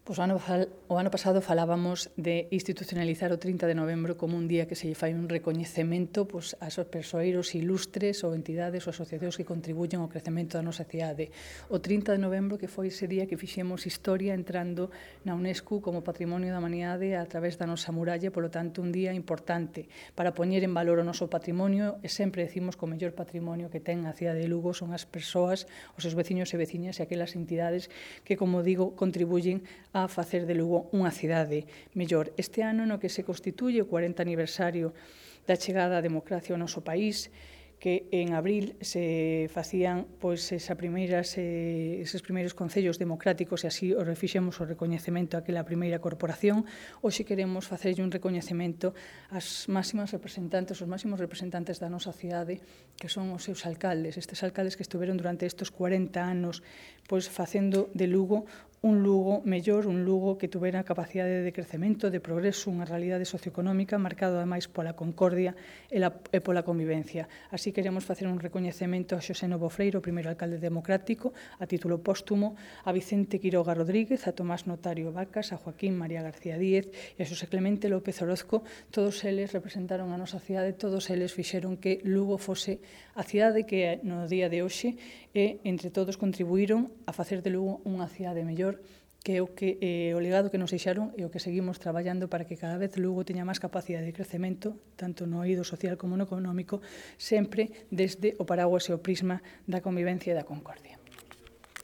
Pois o ano pasado falábamos de institucionalizar o 30 de novembro como un día que se lle fai un recoñecemento aos persoeiros ilustres ou entidades ou asociacións que contribuyen ao crecemento da nosa cidade. O 30 de novembro que foi ese día que fixemos historia entrando na UNESCO como Patrimonio da Humanidade a través da nosa muralla, polo tanto un día importante para poñer en valor o noso patrimonio e sempre decimos que o mellor patrimonio que ten a cidade de Lugo son as persoas, os seus veciños e veciñas e aquelas entidades que, como digo, contribuyen a facer de Lugo unha cidade mellor. Este ano no que se constituye o 40 aniversario da chegada da democracia ao noso país, que en abril se facían eses primeiros concellos democráticos e así o refixemos o recoñecemento àquela primeira corporación. Hoxe queremos facerlle un recoñecemento ás máximas representantes, os máximos representantes da nosa cidade, que son os seus alcaldes, estes alcaldes que estiveron durante estes 40 anos facendo de Lugo un Lugo mellor, un Lugo que tuvera capacidade de crecemento, de progreso, unha realidade socioeconómica marcada ademais pola concordia e pola convivencia. Así queremos facer un recoñecemento a Xosé Novo Freire, o primeiro alcalde democrático, a título póstumo, a Vicente Quiroga Rodríguez, a Tomás Notario Vacas, a Joaquín María García Díez e a Xosé Clemente López Orozco. Todos eles representaron a nosa cidade, todos eles fixeron que Lugo fose a cidade que é no día de hoxe e entre todos contribuíron a facer de Lugo unha cidade mellor, que é o legado que nos deixaron e o que seguimos traballando para que cada vez Lugo teña máis capacidade de crecemento, tanto no eido social como no económico, sempre desde o paraguas e o prisma da convivencia e da concordia.